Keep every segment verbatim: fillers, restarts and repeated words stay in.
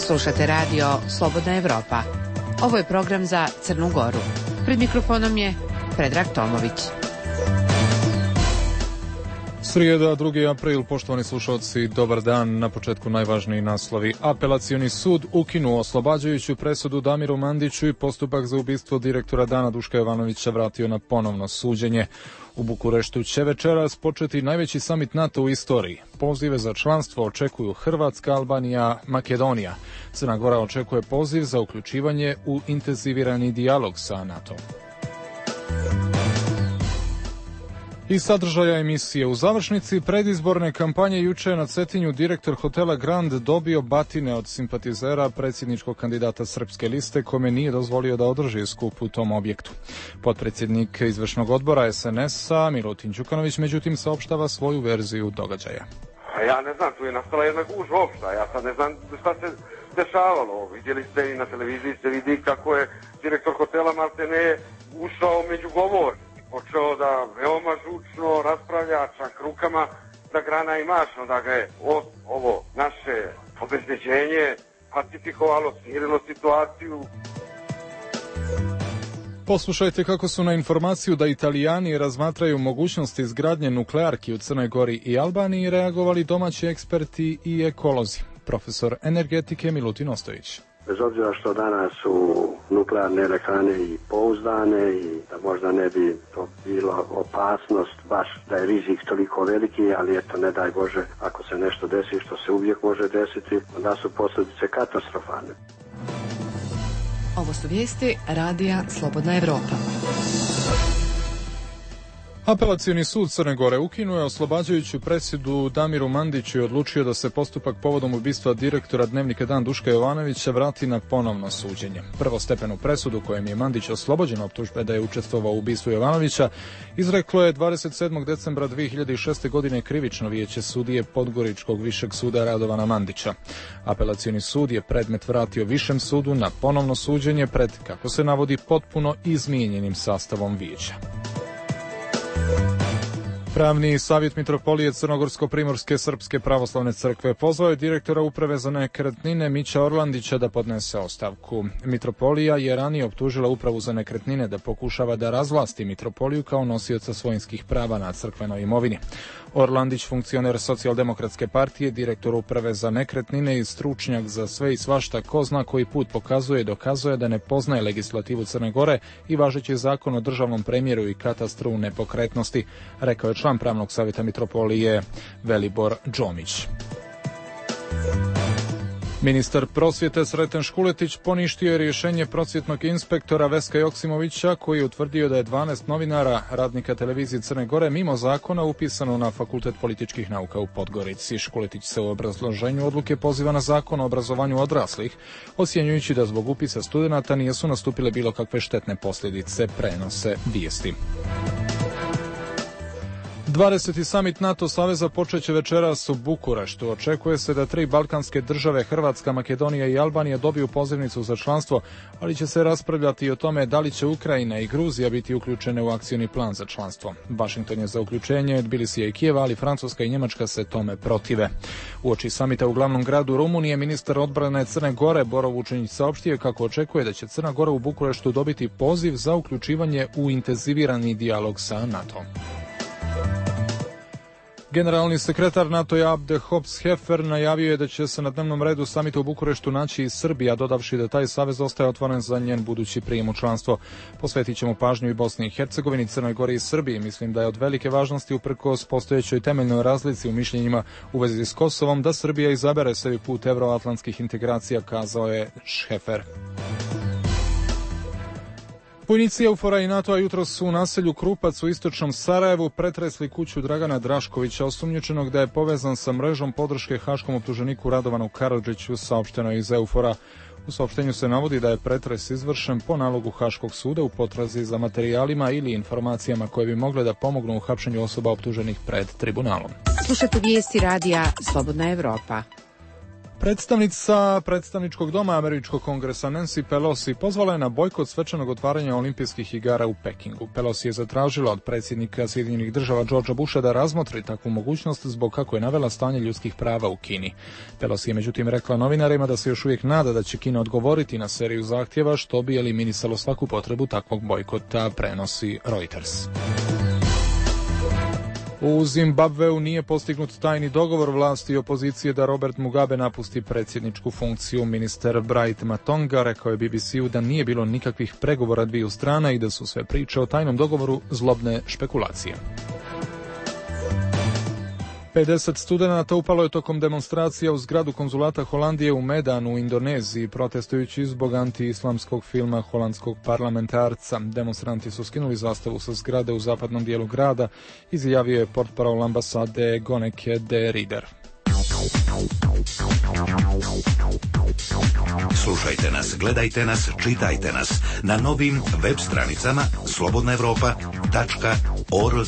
Slušate radio Slobodna Evropa. Ovo je program za Crnu Goru. Pred mikrofonom je Predrag Tomović. Srijeda, drugi april, poštovani slušalci, dobar dan. Na početku najvažniji naslovi. Apelacioni sud ukinuo oslobađajuću presudu Damiru Mandiću i postupak za ubistvo direktora Dana Duška Jovanovića vratio na ponovno suđenje. U Bukureštu će večeras početi najveći samit NATO u istoriji. Pozive za članstvo očekuju Hrvatska, Albanija, Makedonija. Crna Gora očekuje poziv za uključivanje u intenzivirani dijalog sa NATO. I sadržaja emisije. U završnici predizborne kampanje juče je na Cetinju direktor hotela Grand dobio batine od simpatizera predsjedničkog kandidata Srpske liste, kome nije dozvolio da održi skup u tom objektu. Potpredsjednik izvršnog odbora es en es-a Milutin Đukanović međutim saopštava svoju verziju događaja. Ja ne znam, tu je nastala jedna gužva opšta, ja sad ne znam šta se dešavalo. Vidjeli ste i na televiziji se vidi kako je direktor hotela maltene ušao među govor. Počeo da veoma žučno raspravlja, čak rukama da grana i mašno, da ga je ovo naše obezbeđenje pacifikovalo, smirilo situaciju. Poslušajte kako su na informaciju da Italijani razmatraju mogućnosti izgradnje nuklearki u Crnoj Gori i Albaniji reagovali domaći eksperti i ekolozi. Profesor energetike Milutin Ostojić. Bez obzira što danas su nuklearne elektrane i pouzdane i da možda ne bi to bilo opasnost, baš da je rizik toliko veliki, ali eto ne daj Bože ako se nešto desi što se uvijek može desiti, onda su posljedice katastrofalne. Ovo su vijesti radija Slobodna Evropa. Apelacioni sud Crne Gore ukinuo je oslobađajuću presudu Damiru Mandiću i odlučio da se postupak povodom ubistva direktora Dnevnika Dan Duška Jovanovića vrati na ponovno suđenje. Prvostepenu presudu kojem je Mandić oslobođen optužbe da je učestvovao u ubistvu Jovanovića izreklo je dvadeset sedmog decembra dvije hiljade šeste. godine krivično vijeće sudije Podgoričkog višeg suda Radovana Mandića. Apelacioni sud je predmet vratio višem sudu na ponovno suđenje pred, kako se navodi, potpuno izmijenjenim sastavom vijeća. Pravni savjet Mitropolije Crnogorsko-Primorske Srpske pravoslavne crkve pozvao je direktora uprave za nekretnine Mića Orlandića da podnese ostavku. Mitropolija je ranije optužila upravu za nekretnine da pokušava da razvlasti Mitropoliju kao nosioca svojinskih prava na crkvenoj imovini. Orlandić, funkcioner Socijaldemokratske partije, direktor uprave za nekretnine i stručnjak za sve i svašta, ko zna koji put pokazuje i dokazuje da ne poznaje legislativu Crne Gore i važeći zakon o državnom premjeru i katastru nepokretnosti, rekao je član pravnog savjeta Mitropolije Velibor Džomić. Ministar prosvjete Sreten Škuletić poništio je rješenje prosvjetnog inspektora Veska Joksimovića koji je utvrdio da je dvanaest novinara, radnika televizije Crne Gore, mimo zakona upisano na Fakultet političkih nauka u Podgorici. Škuletić se u obrazloženju odluke poziva na zakon o obrazovanju odraslih, ocjenjujući da zbog upisa studenata nisu nastupile bilo kakve štetne posljedice, prenose vijesti. dvadeseti samit NATO saveza počeće večeras u Bukureštu. Očekuje se da tri balkanske države, Hrvatska, Makedonija i Albanija, dobiju pozivnicu za članstvo, ali će se raspravljati i o tome da li će Ukrajina i Gruzija biti uključene u akcioni plan za članstvo. Vašington je za uključenje, Tbilisija i Kijeva, ali Francuska i Njemačka se tome protive. Uoči samita u glavnom gradu Rumunije, ministar odbrane Crne Gore Boro Vučinić saopštio kako očekuje da će Crna Gora u Bukureštu dobiti poziv za uključivanje u intenzivirani dijalog sa NATO. Generalni sekretar NATO-a Abde Hops-Hefer najavio je da će se na dnevnom redu samita u Bukureštu naći i Srbija, dodavši da taj savez ostaje otvoren za njen budući prijem u članstvo. Posvetit ćemo pažnju i Bosni i Hercegovini, Crnoj Gori i Srbiji. Mislim da je od velike važnosti uprkos postojećoj temeljnoj razlici u mišljenjima u vezi s Kosovom da Srbija izabere sebi put evroatlantskih integracija, kazao je Hefer. Vojnici EUFOR-a i NATO-a jutros su u naselju Krupac u istočnom Sarajevu pretresli kuću Dragana Draškovića, osumnjičenog da je povezan sa mrežom podrške haškom optuženiku Radovanu Karadžiću, saopšteno iz EUFOR-a. U saopštenju se navodi da je pretres izvršen po nalogu Haškog suda u potrazi za materijalima ili informacijama koje bi mogle da pomognu u hapšenju osoba optuženih pred tribunalom. Slušate vijesti radija Slobodna Evropa. Predstavnica predstavničkog doma američkog kongresa Nancy Pelosi pozvala je na bojkot svečanog otvaranja olimpijskih igara u Pekingu. Pelosi je zatražila od predsjednika Sjedinjenih država Georgea Busha da razmotri takvu mogućnost zbog kako je navela stanje ljudskih prava u Kini. Pelosi je međutim rekla novinarima da se još uvijek nada da će Kina odgovoriti na seriju zahtjeva što bi eliminisalo svaku potrebu takvog bojkota, prenosi Reuters. U Zimbabveu nije postignut tajni dogovor vlasti i opozicije da Robert Mugabe napusti predsjedničku funkciju. Ministar Bright Matonga rekao je B B C-u da nije bilo nikakvih pregovora dviju strana i da su sve priče o tajnom dogovoru zlobne špekulacije. pedeset studenata upalo je tokom demonstracija u zgradu konzulata Holandije u Medanu u Indoneziji, protestujući zbog anti-islamskog filma holandskog parlamentarca. Demonstranti su skinuli zastavu sa zgrade u zapadnom dijelu grada, izjavio je portparol ambasade Goneke de Rieder. Slušajte nas, gledajte nas, čitajte nas na novim web stranicama slobodna europa tačka org.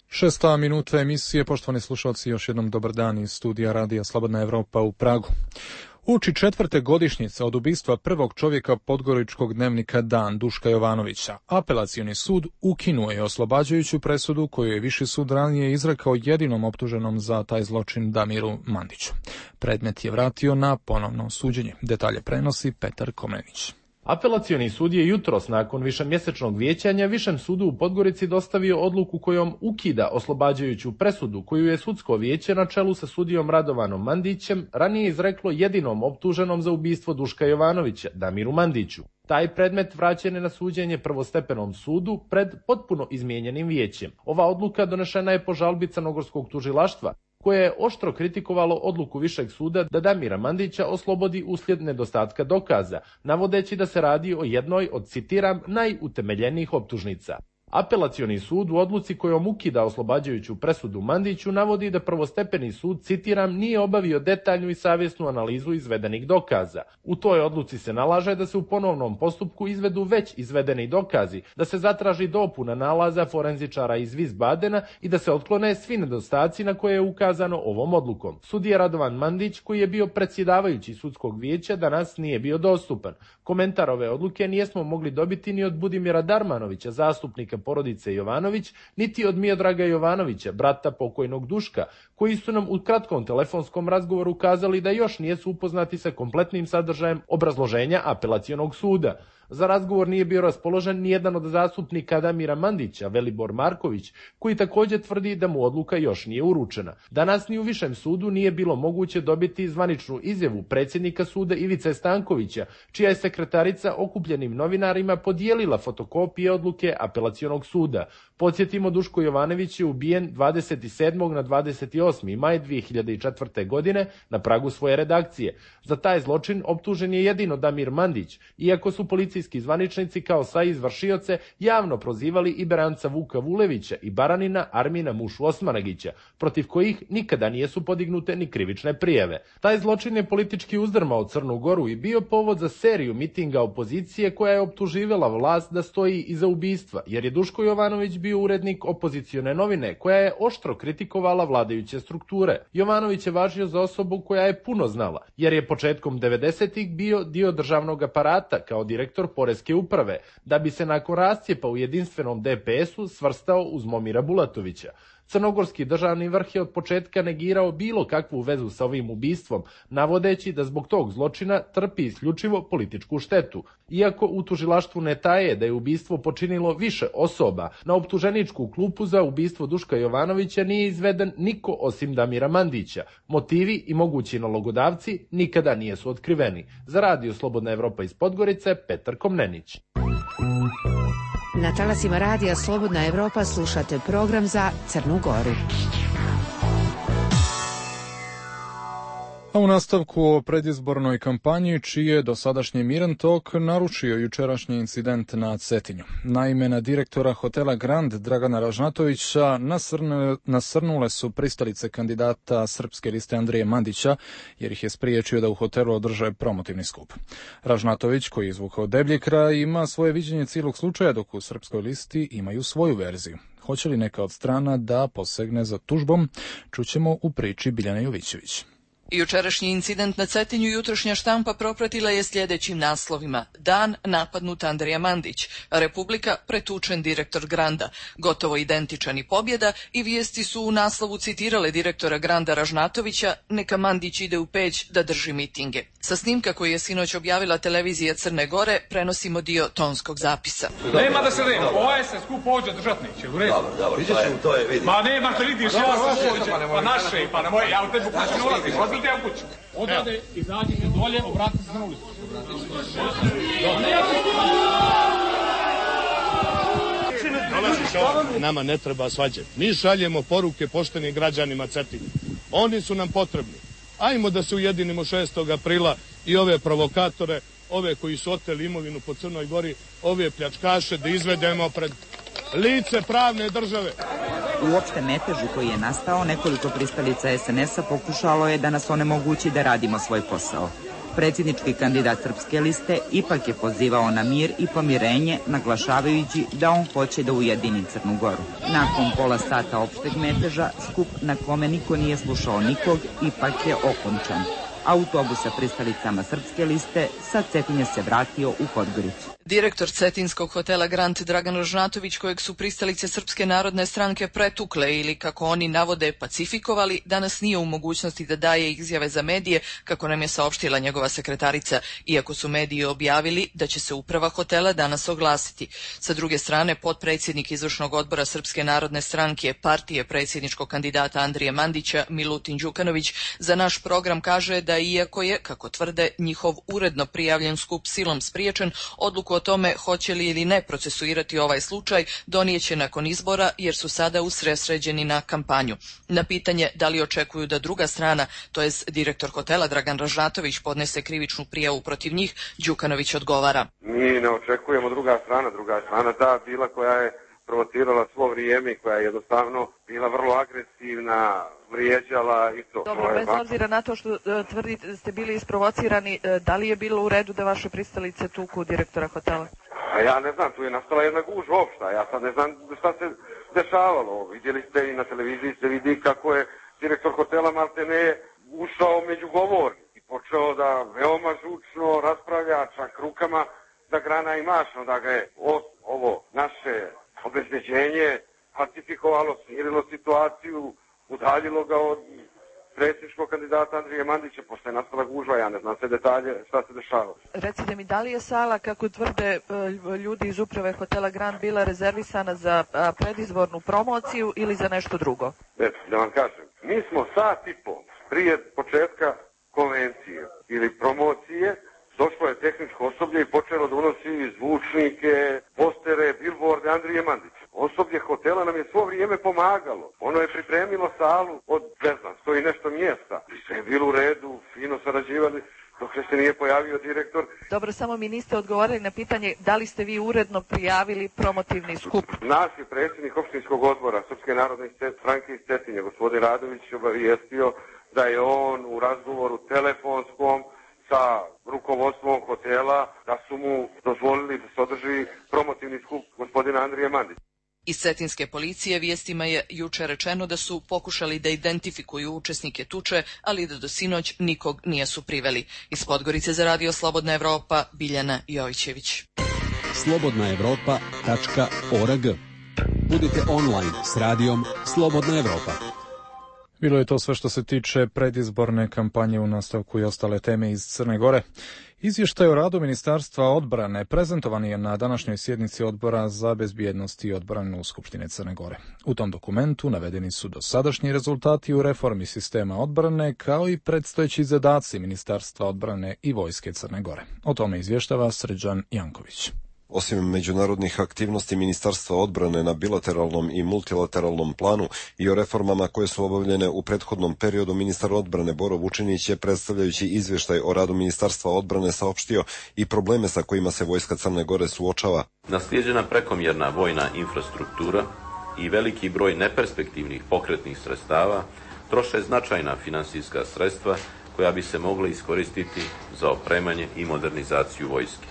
Šesta minuta emisije, poštovani slušalci, još jednom dobar dan iz studija Radija Slobodna Evropa u Pragu. Uči četvrte godišnjice od ubistva prvog čovjeka podgoričkog dnevnika Dan, Duška Jovanovića. Apelacioni sud ukinuo je oslobađajuću presudu koju je Viši sud ranije izrekao jedinom optuženom za taj zločin Damiru Mandiću. Predmet je vratio na ponovno suđenje. Detalje prenosi Petar Komnenić. Apelacioni sud je jutros nakon višemjesečnog vijećanja Višem sudu u Podgorici dostavio odluku kojom ukida oslobađajuću presudu koju je sudsko vijeće na čelu sa sudijom Radovanom Mandićem ranije izreklo jedinom optuženom za ubistvo Duška Jovanovića, Damiru Mandiću. Taj predmet vraćen je na suđenje prvostepenom sudu pred potpuno izmijenjenim vijećem. Ova odluka donešena je po žalbi crnogorskog tužilaštva, koje je oštro kritikovalo odluku Višeg suda da Damira Mandića oslobodi uslijed nedostatka dokaza, navodeći da se radi o jednoj od, citiram, najutemeljenijih optužnica. Apelacioni sud u odluci kojom ukida oslobađajuću presudu Mandiću navodi da prvostepeni sud, citiram, nije obavio detaljnu i savjesnu analizu izvedenih dokaza. U toj odluci se nalaže da se u ponovnom postupku izvedu već izvedeni dokazi, da se zatraži dopuna nalaza forenzičara iz Wiesbadena i da se otklone svi nedostaci na koje je ukazano ovom odlukom. Sudija Radovan Mandić, koji je bio predsjedavajući sudskog vijeća, danas nije bio dostupan. Komentar ove odluke nijesmo mogli dobiti ni od Budimira Darmanovića, zastupnika porodice Jovanović, niti od Miodraga Jovanovića, brata pokojnog Duška, koji su nam u kratkom telefonskom razgovoru kazali da još nijesu upoznati sa kompletnim sadržajem obrazloženja apelacionog suda. Za razgovor nije bio raspoložen ni jedan od zastupnika Damira Mandića, Velibor Marković, koji također tvrdi da mu odluka još nije uručena. Danas ni u Višem sudu nije bilo moguće dobiti zvaničnu izjavu predsjednika suda Ivice Stankovića, čija je sekretarica okupljenim novinarima podijelila fotokopije odluke apelacionog suda. Podsjetimo, Duško Jovanović je ubijen dvadeset sedmog na dvadeset osmi maj dvije hiljade četvrte. godine na pragu svoje redakcije. Za taj zločin optužen je jedino Damir Mandić, iako su policijski zvaničnici kao saizvršioce javno prozivali i Beranca Vuka Vulevića i Baranina Armina Mušu Osmanagića, protiv kojih nikada nijesu podignute ni krivične prijave. Taj zločin je politički uzdrmao Crnu Goru i bio povod za seriju mitinga opozicije koja je optuživala vlast da stoji iza ubistva, jer je Duško Jovanović bio urednik opozicione novine koja je oštro kritikovala vladajuće strukture. Jovanović je važio za osobu koja je puno znala, jer je početkom devedesetih bio dio državnog aparata kao direktor Poreske uprave, da bi se nakon rascijepa u jedinstvenom D P S-u svrstao uz Momira Bulatovića. Crnogorski državni vrh je od početka negirao bilo kakvu vezu sa ovim ubistvom, navodeći da zbog tog zločina trpi isključivo političku štetu. Iako u tužilaštvu ne taje da je ubistvo počinilo više osoba, na optuženičku klupu za ubistvo Duška Jovanovića nije izveden niko osim Damira Mandića. Motivi i mogući nalogodavci nikada nijesu otkriveni. Za Radio Slobodna Evropa iz Podgorice, Petar Komnenić. Na talasima Radija Slobodna Evropa slušate program za Crnu Goru. A u nastavku o predizbornoj kampanji, čiji je dosadašnji miran tok narušio jučerašnji incident na Cetinju. Naime, na direktora hotela Grand Dragana Ražnatovića nasrnule, nasrnule su pristalice kandidata srpske liste Andrije Mandića, jer ih je spriječio da u hotelu održe promotivni skup. Ražnatović, koji je izvukao deblji kraj, ima svoje viđenje cijelog slučaja, dok u srpskoj listi imaju svoju verziju. Hoće li neka od strana da posegne za tužbom? Čućemo u priči Biljane Jovićević. Jučerašnji incident na Cetinju jutrošnja štampa propratila je sljedećim naslovima. Dan napadnut Andrija Mandić, Republika pretučen direktor Granda, gotovo identičan i pobjeda i vijesti su u naslovu citirale direktora Granda Ražnatovića, neka Mandić ide u Peć da drži mitinge. Sa snimka koji je sinoć objavila televizija Crne Gore prenosimo dio tonskog zapisa. Nema da se nema, ovaj se skup ođe držat neće, u redu. Dobro, dobro, to je, vidi. Ma nema, to vidiš, ja sam ođe, pa naše, pa na moje, ja u tebi u kuću ne ulazim, odbili te u kuću. Odvode, izađite dolje, obratite se na ulicu. Nama ne treba svađe. Mi šaljemo poruke poštenim građanima Cetinja. Oni su nam potrebni. Ajmo da se ujedinimo šestog aprila i ove provokatore, ove koji su oteli imovinu po Crnoj Gori, ove pljačkaše da izvedemo pred lice pravne države. U opštem metežu koji je nastao, nekoliko pristalica es en es a pokušalo je da nas onemogući da radimo svoj posao. Predsjednički kandidat Srpske liste ipak je pozivao na mir i pomirenje, naglašavajući da on hoće da ujedini Crnu Goru. Nakon pola sata opšteg meteža, skup na kome niko nije slušao nikog, ipak je okončan. Autobus sa pristalicama Srpske liste sa Cetinja se vratio u Podgoricu. Direktor cetinskog hotela Grand Dragan Ražnatović, kojeg su pristalice Srpske narodne stranke pretukle ili, kako oni navode, pacifikovali, danas nije u mogućnosti da daje izjave za medije, kako nam je saopštila njegova sekretarica, iako su mediji objavili da će se uprava hotela danas oglasiti. Sa druge strane, potpredsjednik izvršnog odbora Srpske narodne stranke, partije predsjedničkog kandidata Andrije Mandića, Milutin Đukanović, za naš program kaže da iako je, kako tvrde, njihov uredno prijavljen skup silom spriječen, odluku o tome hoće li ili ne procesuirati ovaj slučaj donijeće nakon izbora jer su sada usredsređeni na kampanju. Na pitanje da li očekuju da druga strana, to jest direktor hotela Dragan Ražnatović, podnese krivičnu prijavu protiv njih, Đukanović odgovara. Mi ne očekujemo druga strana, druga strana ta bila koja je provocirala svo vrijeme i koja je jednostavno bila vrlo agresivna, vrijeđala i to. Dobro, bez obzira na to što uh, tvrdite da ste bili isprovocirani, uh, da li je bilo u redu da vaše pristalice tuku direktora hotela? A ja ne znam, tu je nastala jedna gužva opšta, ja sad ne znam šta se dešavalo. Vidjeli ste i na televiziji se vidi kako je direktor hotela maltene ušao među govornik i počeo da veoma žučno raspravlja, čak rukama da grana i mašno, da ga je ovo naše obezbeđenje pacifikovalo, smirilo situaciju, udaljilo ga od predsjedničkog kandidata Andrije Mandića, pošto je nastala gužva, ja ne znam sve detalje šta se dešava. Recite mi, da li je sala, kako tvrde ljudi iz uprave hotela Grand, bila rezervisana za predizbornu promociju ili za nešto drugo? Eto, da vam kažem, mi smo sat i pol prije početka konvencije ili promocije, došlo je tehničko osoblje i počelo da unosi zvučnike, postere, bilborde Andrije Mandića. Osoblje hotela nam je svo vrijeme pomagalo. Ono je pripremilo salu od, ne znam, stoji nešto mjesta. I sve je bilo u redu, fino sarađivali, dok se nije pojavio direktor. Dobro, samo mi niste odgovorili na pitanje da li ste vi uredno prijavili promotivni skup. Nas je predsjednik opštinskog odbora Srpske narodne stranke iz Cetinja, gospodin Radović, obavijestio da je on u razgovoru telefonskom sa rukovodstvom hotela, da su mu dozvolili da se održi promotivni skup gospodina Andrije Mandića. Iz cetinske policije vijestima je juče rečeno da su pokušali da identifikuju učesnike tuče, ali da do sinoć nikog nisu priveli. Iz Podgorice za radio Slobodna Evropa, Biljana Jovićević. slobodna evropa tačka org. Budite online s radijom Slobodna Evropa. Bilo je to sve što se tiče predizborne kampanje, u nastavku i ostale teme iz Crne Gore. Izvještaj o radu Ministarstva odbrane prezentovan je na današnjoj sjednici Odbora za bezbjednost i odbranu Skupštine Crne Gore. U tom dokumentu navedeni su dosadašnji rezultati u reformi sistema odbrane, kao i predstojeći zadaci Ministarstva odbrane i Vojske Crne Gore. O tome izvještava Srđan Janković. Osim međunarodnih aktivnosti Ministarstva odbrane na bilateralnom i multilateralnom planu i o reformama koje su obavljene u prethodnom periodu, ministar odbrane Boro Vučinić je, predstavljajući izvještaj o radu Ministarstva odbrane, saopštio i probleme sa kojima se Vojska Crne Gore suočava. Naslijeđena prekomjerna vojna infrastruktura i veliki broj neperspektivnih pokretnih sredstava troše značajna finansijska sredstva koja bi se mogla iskoristiti za opremanje i modernizaciju vojske.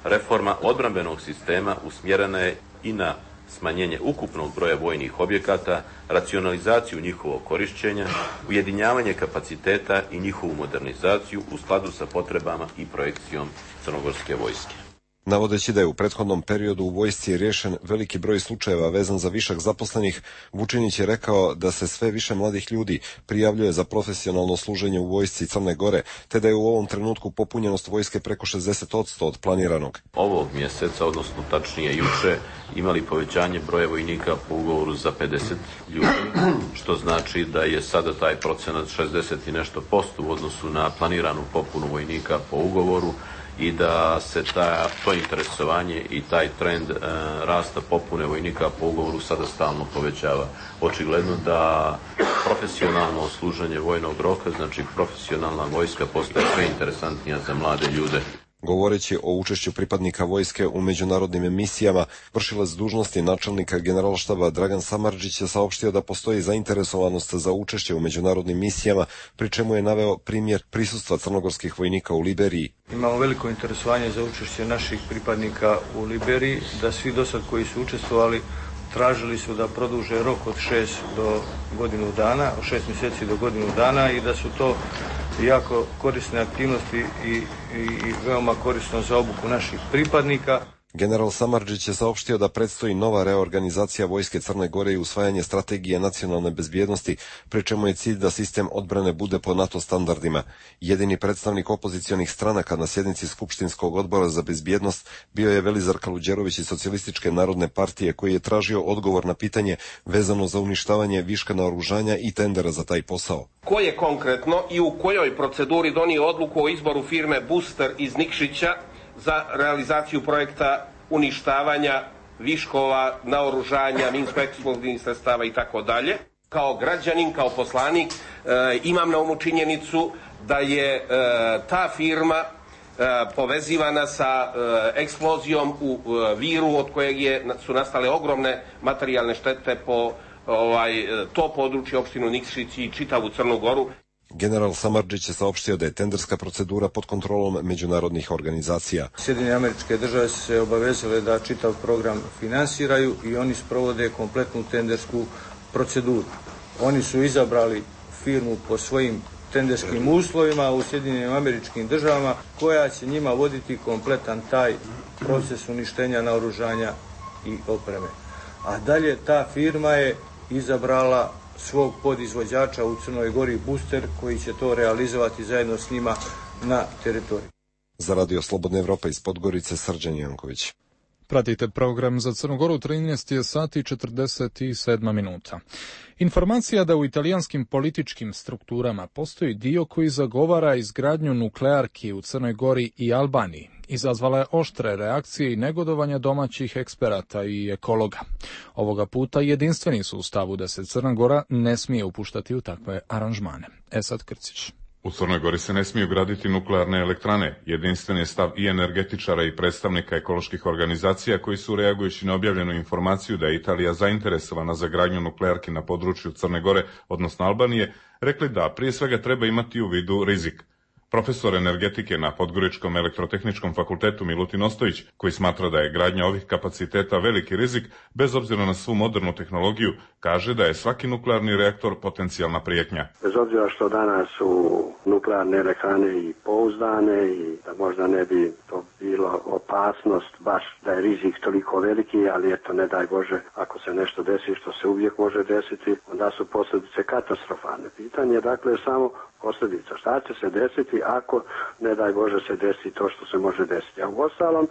Reforma odbrambenog sistema usmjerena je i na smanjenje ukupnog broja vojnih objekata, racionalizaciju njihovog korišćenja, ujedinjavanje kapaciteta i njihovu modernizaciju u skladu sa potrebama i projekcijom crnogorske vojske. Navodeći da je u prethodnom periodu u vojsci riješen veliki broj slučajeva vezan za višak zaposlenih, Vučinić je rekao da se sve više mladih ljudi prijavljuje za profesionalno služenje u vojsci Crne Gore, te da je u ovom trenutku popunjenost vojske preko šezdeset posto od planiranog. Ovog mjeseca, odnosno tačnije juče, imali povećanje broja vojnika po ugovoru za pedeset ljudi, što znači da je sada taj procenat šezdeset i nešto posto u odnosu na planiranu popunu vojnika po ugovoru, i da se ta, to interesovanje i taj trend e, rasta popune vojnika po ugovoru sada stalno povećava. Očigledno da profesionalno služenje vojnog roka, znači profesionalna vojska, postaje sve interesantnija za mlade ljude. Govoreći o učešću pripadnika vojske u međunarodnim emisijama, vršilac dužnosti načelnika generalštaba Dragan Samardžić je saopštio da postoji zainteresovanost za učešće u međunarodnim misijama, pri čemu je naveo primjer prisustva crnogorskih vojnika u Liberiji. Imamo veliko interesovanje za učešće naših pripadnika u Liberiji, da svi dosad koji su učestvovali tražili su da produže rok od šest do godinu dana, od šest mjeseci do godinu dana i da su to jako korisne aktivnosti i, i, i veoma korisno za obuku naših pripadnika. General Samardžić je saopštio da predstoji nova reorganizacija vojske Crne Gore i usvajanje strategije nacionalne bezbjednosti, pri čemu je cilj da sistem odbrane bude po NATO standardima. Jedini predstavnik opozicionih stranaka na sjednici Skupštinskog odbora za bezbjednost bio je Velizar Kaluđerović iz Socijalističke narodne partije, koji je tražio odgovor na pitanje vezano za uništavanje viška naoružanja i tendera za taj posao. Ko je konkretno i u kojoj proceduri donio odluku o izboru firme Booster iz Nikšića za realizaciju projekta uništavanja viškova, naoružanja, minsko-eksplozivnih sredstava i tako dalje. Kao građanin, kao poslanik, e, imam na umu činjenicu da je e, ta firma e, povezivana sa e, eksplozijom u e, Viru, od kojeg je, su nastale ogromne materijalne štete po ovaj, to područje, opštinu Nikšić i čitavu Crnu Goru. General Samardžić je saopštio da je tenderska procedura pod kontrolom međunarodnih organizacija. Sjedinjene Američke Države su se obavezale da čitav program finansiraju i oni sprovode kompletnu tendersku proceduru. Oni su izabrali firmu po svojim tenderskim uslovima u Sjedinjenim Američkim Državama, koja će njima voditi kompletan taj proces uništenja naoružanja i opreme. A dalje ta firma je izabrala svog podizvođača u Crnoj Gori, Booster, koji će to realizovati zajedno s njima na teritoriju. Za Radio Slobodna Evropa iz Podgorice, Srđan Janković. Pratite program za Crnu Goru, trinaest sati i četrdeset sedam minuta. Informacija da u italijanskim političkim strukturama postoji dio koji zagovara izgradnju nuklearki u Crnoj Gori i Albaniji izazvala je oštre reakcije i negodovanja domaćih eksperata i ekologa. Ovoga puta jedinstveni su u stavu da se Crna Gora ne smije upuštati u takve aranžmane. Esad Krcić. U Crnoj Gori se ne smiju graditi nuklearne elektrane. Jedinstven je stav i energetičara i predstavnika ekoloških organizacija koji su, reagujući na objavljenu informaciju da je Italija zainteresovana za gradnju nuklearki na području Crne Gore, odnosno Albanije, rekli da prije svega treba imati u vidu rizik. Profesor energetike na Podgoričkom elektrotehničkom fakultetu Milutin Ostojić, koji smatra da je gradnja ovih kapaciteta veliki rizik, bez obzira na svu modernu tehnologiju, kaže da je svaki nuklearni reaktor potencijalna prijetnja. Bez obzira što danas su nuklearne elektrane i pouzdane i da možda ne bi to bilo opasnost, baš da je rizik toliko veliki, ali eto, ne daj Bože, ako se nešto desi, što se uvijek može desiti, onda su posljedice katastrofalne. Pitanje je dakle samo posljedica. Šta će se desiti ako, ne daj Bože, se desi to što se može desiti. A u ostalom,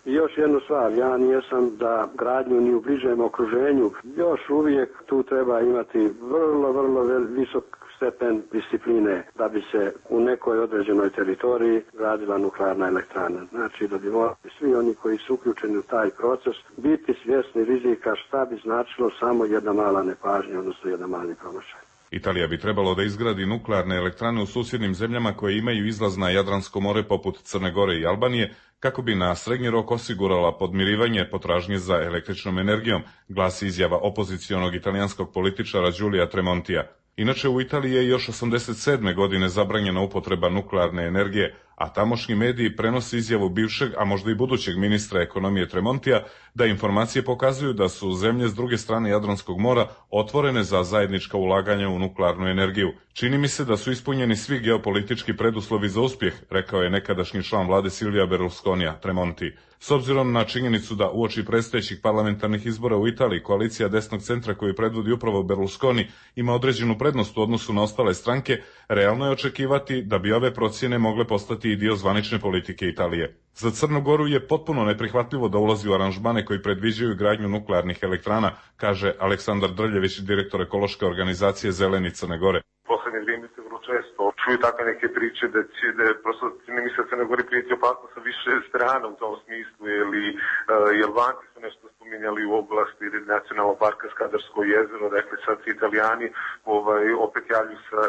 i još jednu stvar, ja nijesam da gradnju ni u bližem okruženju, još uvijek tu treba imati vrlo, vrlo visok stepen discipline da bi se u nekoj određenoj teritoriji gradila nuklearna elektrana. Znači da bi morali svi oni koji su uključeni u taj proces biti svjesni rizika, šta bi značilo samo jedna mala nepažnja, odnosno jedan mali promašaj. Italija bi trebalo da izgradi nuklearne elektrane u susjednim zemljama koje imaju izlaz na Jadransko more poput Crne Gore i Albanije, kako bi na srednji rok osigurala podmirivanje potražnje za električnom energijom, glasi izjava opozicionog italijanskog političara Giulia Tremontija. Inače, u Italiji je još osamdeset sedme godine zabranjena upotreba nuklearne energije, a tamošnji mediji prenose izjavu bivšeg, a možda i budućeg ministra ekonomije Tremontija, da informacije pokazuju da su zemlje s druge strane Jadranskog mora otvorene za zajednička ulaganja u nuklearnu energiju. Čini mi se da su ispunjeni svi geopolitički preduslovi za uspjeh, rekao je nekadašnji član vlade Silvija Berlusconija, Tremonti. S obzirom na činjenicu da uoči predstojećih parlamentarnih izbora u Italiji koalicija desnog centra koju predvodi upravo Berlusconi ima određenu prednost u odnosu na ostale stranke, realno je očekivati da bi ove procjene mogle postati i dio zvanične politike Italije. Za Crnu Goru je potpuno neprihvatljivo da ulazi u aranžmane koji predviđaju gradnju nuklearnih elektrana, kaže Aleksandar Drljević, direktor ekološke organizacije Zeleni Crne Gore. Poslednje vrijeme se vrlo često čuju takve neke priče da će, da je prosto, ne misle se ne govori prijeti opasno sa više strana u tom smislu, ili uh, Albanci su nešto spominjali u oblasti nacionalnog parka Skadarsko jezero, dakle sad se Italijani ovaj, opet javlju sa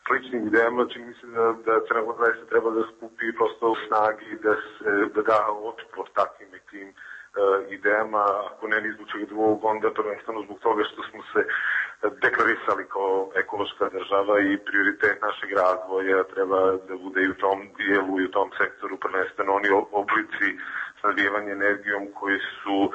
sličnim idejama, čini mi se da, da Crna Gora se treba da skupi prosto u snagi, da se da, da otpor takvim nekim uh, idejama, ako ne ni zbog čega drugog, onda prvenstveno zbog toga što smo se deklarisali kao ekološka država i prioritet našeg razvoja treba da bude i u tom dijelu i u tom sektoru prvenstveno oni oblici snabdijevanja energijom koji su uh,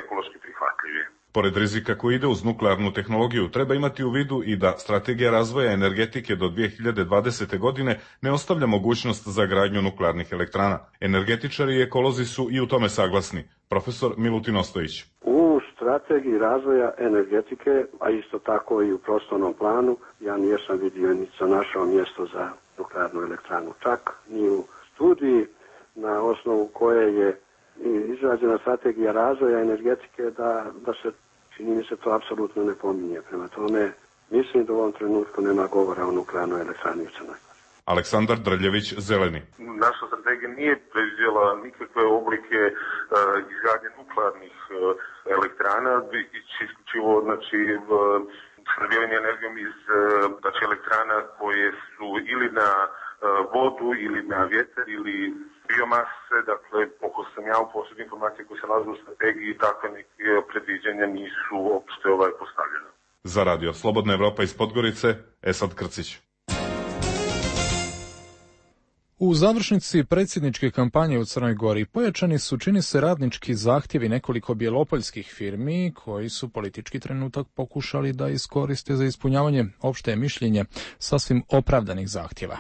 ekološki prihvatljivi. Pored rizika koji ide uz nuklearnu tehnologiju, treba imati u vidu i da strategija razvoja energetike do dvije hiljade dvadesete. godine ne ostavlja mogućnost za gradnju nuklearnih elektrana. Energetičari i ekolozi su i u tome saglasni. Profesor Milutin Ostojić. U strategiji razvoja energetike, a isto tako i u prostornom planu, ja nijesam vidio ni sa našao mjesto za nuklearnu elektranu. Čak ni u studiji na osnovu koje je izrađena strategija razvoja energetike da, da se, čini mi se, to apsolutno ne pominje. Prema tome, mislim da u ovom trenutku nema govora o nuklearnoj elektrani u Crnoj Gori. Aleksandar Drljević, Zeleni. Naša strategija nije predviđala nikakve oblike uh, izgradnje nuklearnih uh, elektrana, isključivo znači snabdijevanje energijom iz uh, znači, elektrana koje su ili na uh, vodu ili na vjetar ili biomase, dakle, oko sam ja u posljednje informacije koje se nalaze u strategiji, takve neke predviđanja nisu uopšte ovaj postavljene. Za radio Slobodna Evropa iz Podgorice, Esad Krcić. U završnici predsjedničke kampanje u Crnoj Gori pojačani su, čini se, radnički zahtjevi nekoliko bjelopoljskih firmi koji su politički trenutak pokušali da iskoriste za ispunjavanje opšte mišljenje sasvim opravdanih zahtjeva.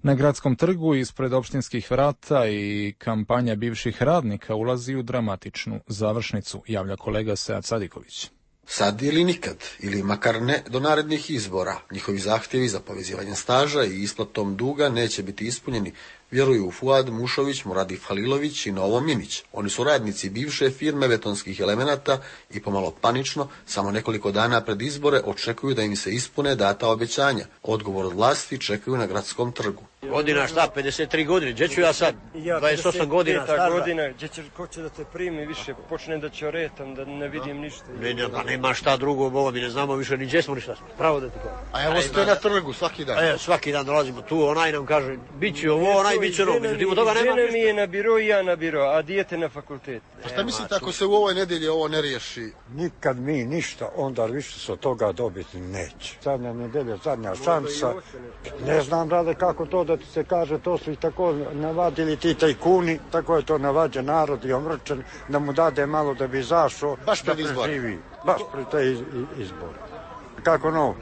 Na gradskom trgu ispred opštinskih vrata i kampanja bivših radnika ulazi u dramatičnu završnicu, javlja kolega Sead Sadiković. Sad ili nikad, ili makar ne do narednih izbora. Njihovi zahtjevi za povezivanje staža i isplatom duga neće biti ispunjeni, vjeruju Fuad Mušović, Muradif Halilović i Novo Minić. Oni su radnici bivše firme betonskih elemenata i pomalo panično, samo nekoliko dana pred izbore, očekuju da im se ispune data obećanja. Odgovor od vlasti čekaju na gradskom trgu. Godina šta, pedeset tri godine, gdje ću ja sad, dvadeset osam godina staža. Godina, gdje će, ko će da te primi više, počne da će oretam, da ne vidim ništa. Ne, ne, pa nema šta drugo, boga mi ne znamo više ni gdje smo, ništa smo. Pravo da ti kažem. A evo ste na trgu svaki dan. E, svaki dan dolazimo tu, onaj nam kaže, bit će ovo, onaj bit će ono, međutim od toga nema ništa. Žena mi je na biro i ja na biro, a dijete na fakultet. A šta mislite ako se u ovoj nedelji ovo ne riješi? Nikad mi ništa, onda više se od toga dobiti neće. Zadnja nedelja, zadnja šansa. Ne znam, rade, kako to da ti se kaže, to su i tako navadili ti tajkuni, tako je to navađen narod i omrčen, da mu dade malo da bi izašao, baš pred da preživi. Baš pred te iz, izbore. Kako no?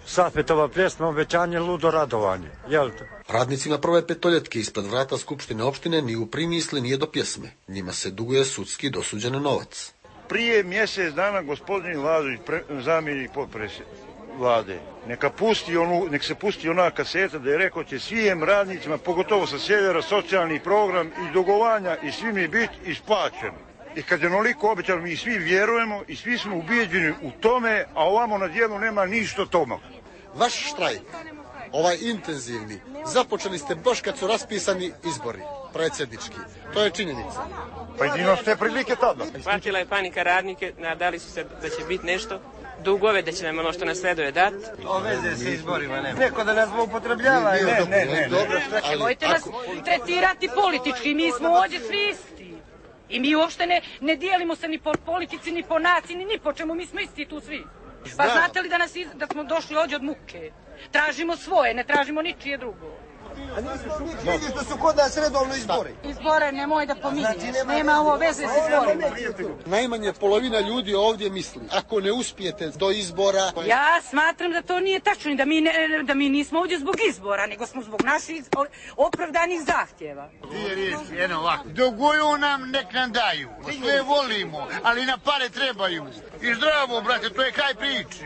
Safetova pjesma, obećanje, ludo radovanje, jel te? Radnicima prve petoljetke ispred vrata Skupštine opštine ni u primisli nije do pjesme. Njima se duguje sudski dosuđen novac. Prije mjesec dana gospodin Lazović, zamjenik potpredsjednika vlade, neka pusti onu, nek se pusti ona kaseta da je rekao će svim radnicima, pogotovo sa sjevera, socijalni program i dogovanja i svi mi biti isplaćeni. I kad je onoliko obećano, mi svi vjerujemo i svi smo ubijeđeni u tome, a ovamo na dijelu nema ništa toma. Vaš štrajk, ovaj intenzivni, započeli ste baš kad su raspisani izbori, predsjednički. To je činjenica. Pa jedino ste prilike tada. Hvatila je panika radnike, nadali su se da će biti nešto. Dugove da će nam ono što nasleduje dat. O veze se izborima nema. Neko da nas upotrebljava, ne, ne, ne. ne. Dobro, ali... Mojte nas tretirati politički, mi smo ovdje svi isti. I mi uopšte ne, ne dijelimo se ni po politici, ni po naciji, ni, ni po čemu, mi smo isti tu svi. Pa znate li da, nas iz, da smo došli ovdje od muke? Tražimo svoje, ne tražimo ničije drugo. A nismo mi krivi što su kod nas redovno izbori. Izbore nemoj da pominješ, nema ovo veze s izborima. Najmanje polovina ljudi ovdje misli, ako ne uspijete do izbora... Ja smatram da to nije tačno i da mi, ne, da mi nismo ovdje zbog izbora, nego smo zbog naših opravdanih zahtjeva. Dvije riječi, jedno ovako. Duguju nam, nek nam daju. Sve volimo, ali na pare trebaju. I zdravo, brate, to je kraj priče.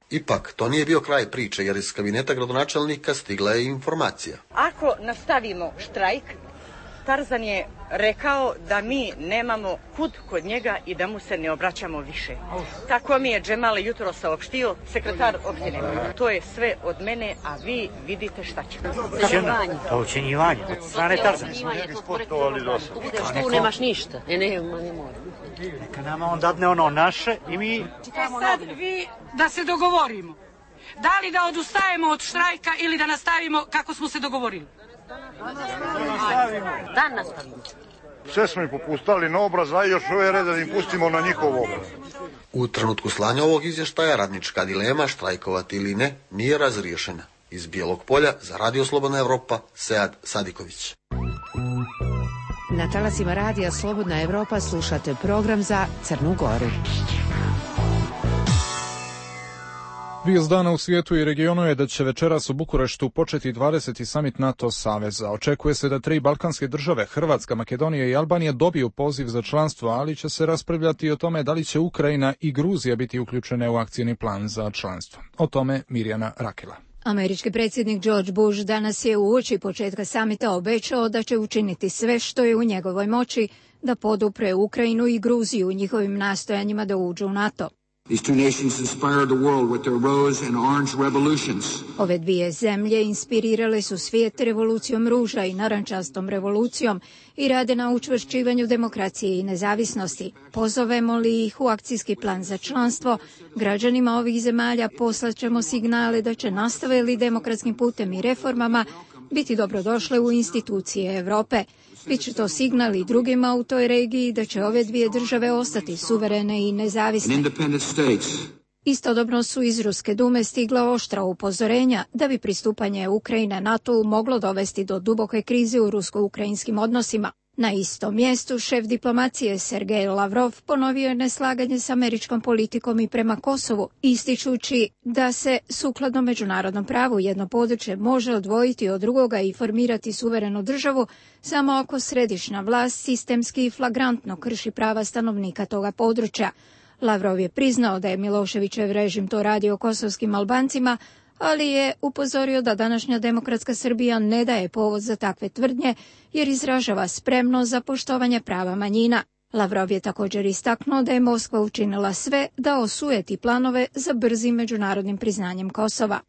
Ipak, to nije bio kraj priče, jer iz kabineta gradonačelnika stigla je informacija. Ako nastavimo štrajk, Tarzan je rekao da mi nemamo kud kod njega i da mu se ne obraćamo više. Tako mi je Džemal jutro saopštio, sekretar opštine. To je sve od mene, a vi vidite šta će. Ucenjivanje. To ucenjivanje. Od strane Tarzana. Tu nemaš ništa. Ne, ne, ne mora. Neka nama on dadne ono naše i mi... E sad vi da se dogovorimo. Da li da odustajemo od štrajka ili da nastavimo kako smo se dogovorili? Da nastavimo. Sve smo im popustali na obraz, a još ove rede da im pustimo na njihov obraz. U trenutku slanja ovog izvještaja radnička dilema, štrajkovati ili ne, nije razriješena. Iz Bijelog Polja za Radio Slobodna Evropa, Sead Sadiković. Na talasima Radija Slobodna Evropa slušate program za Crnu Goru. Vijest dana u svijetu i regionu je da će večeras u Bukureštu početi dvadeseti samit NATO saveza. Očekuje se da tri balkanske države, Hrvatska, Makedonija i Albanija, dobiju poziv za članstvo, ali će se raspravljati i o tome da li će Ukrajina i Gruzija biti uključene u akcijni plan za članstvo. O tome Mirjana Rakela. Američki predsjednik George Bush danas je uoči početka samita obećao da će učiniti sve što je u njegovoj moći da podupre Ukrajinu i Gruziju u njihovim nastojanjima da uđu u NATO. These two nations inspired the world with their rose and orange revolutions. Ove dvije zemlje inspirirale su svijet revolucijom ruža i narančastom revolucijom i rade na učvršćivanju demokracije i nezavisnosti. Pozovemo li ih u akcijski plan za članstvo, građanima ovih zemalja poslaćemo signale da će nastave li demokratskim putem i reformama biti dobrodošle u institucije Europe. Biće to signal i drugima u toj regiji da će ove dvije države ostati suverene i nezavisne. Istodobno su iz Ruske dume stigla oštra upozorenja da bi pristupanje Ukrajine NATO moglo dovesti do duboke krize u rusko-ukrajinskim odnosima. Na istom mjestu šef diplomacije Sergej Lavrov ponovio je neslaganje s američkom politikom i prema Kosovu, ističući da se sukladno međunarodnom pravu jedno područje može odvojiti od drugoga i formirati suverenu državu samo ako središnja vlast sistemski i flagrantno krši prava stanovnika toga područja. Lavrov je priznao da je Miloševićev režim to radio kosovskim Albancima, ali je upozorio da današnja demokratska Srbija ne daje povod za takve tvrdnje jer izražava spremnost za poštovanje prava manjina. Lavrov je također istaknuo da je Moskva učinila sve da osujeti planove za brzim međunarodnim priznanjem Kosova.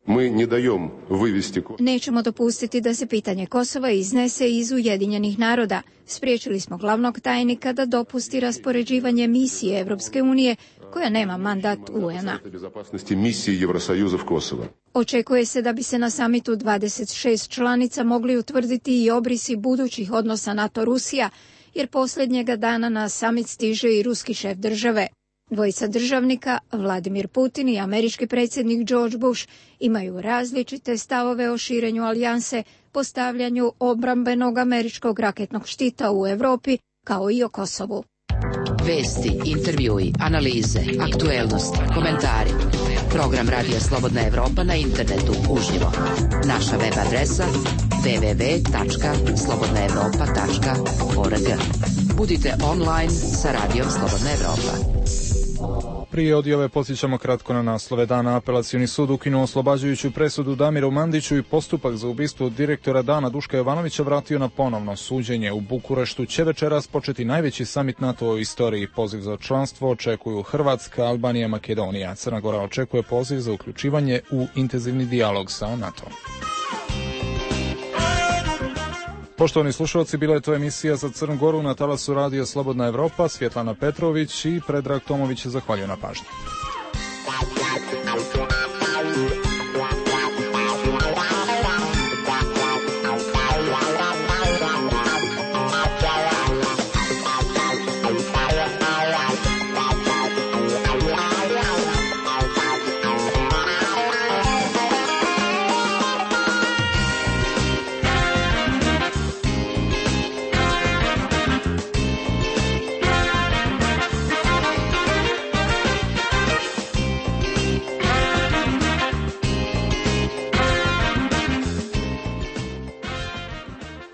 Nećemo dopustiti da se pitanje Kosova iznese iz Ujedinjenih naroda. Spriječili smo glavnog tajnika da dopusti raspoređivanje misije Evropske unije koja nema mandat U N-a. Očekuje se da bi se na samitu dvadeset šest članica mogli utvrditi i obrisi budućih odnosa NATO-Rusija, jer posljednjega dana na samit stiže i ruski šef države. Dvojica državnika, Vladimir Putin i američki predsjednik George Bush, imaju različite stavove o širenju alijanse, postavljanju obrambenog američkog raketnog štita u Europi, kao i o Kosovu. Vesti, intervjui, analize, aktuelnosti, komentari. Program Radija Slobodna Evropa na internetu uživo. Naša web adresa w w w tačka slobodna evropa tačka org. Budite online sa Radijom Slobodna Evropa. Prije odjave podsjećamo kratko na naslove dana. Apelacioni sud ukinuo oslobađajuću presudu Damiru Mandiću i postupak za ubistvo direktora Dana Duška Jovanovića vratio na ponovno suđenje. U Bukureštu će večeras početi najveći samit NATO u istoriji. Poziv za članstvo očekuju Hrvatska, Albanija, Makedonija. Crna Gora očekuje poziv za uključivanje u intenzivni dijalog sa NATO. Poštovani slušalci, bila je to emisija za Crnu Goru na talasu Radija Slobodna Evropa. Svjetlana Petrović i Predrag Tomović zahvaljuju na pažnji.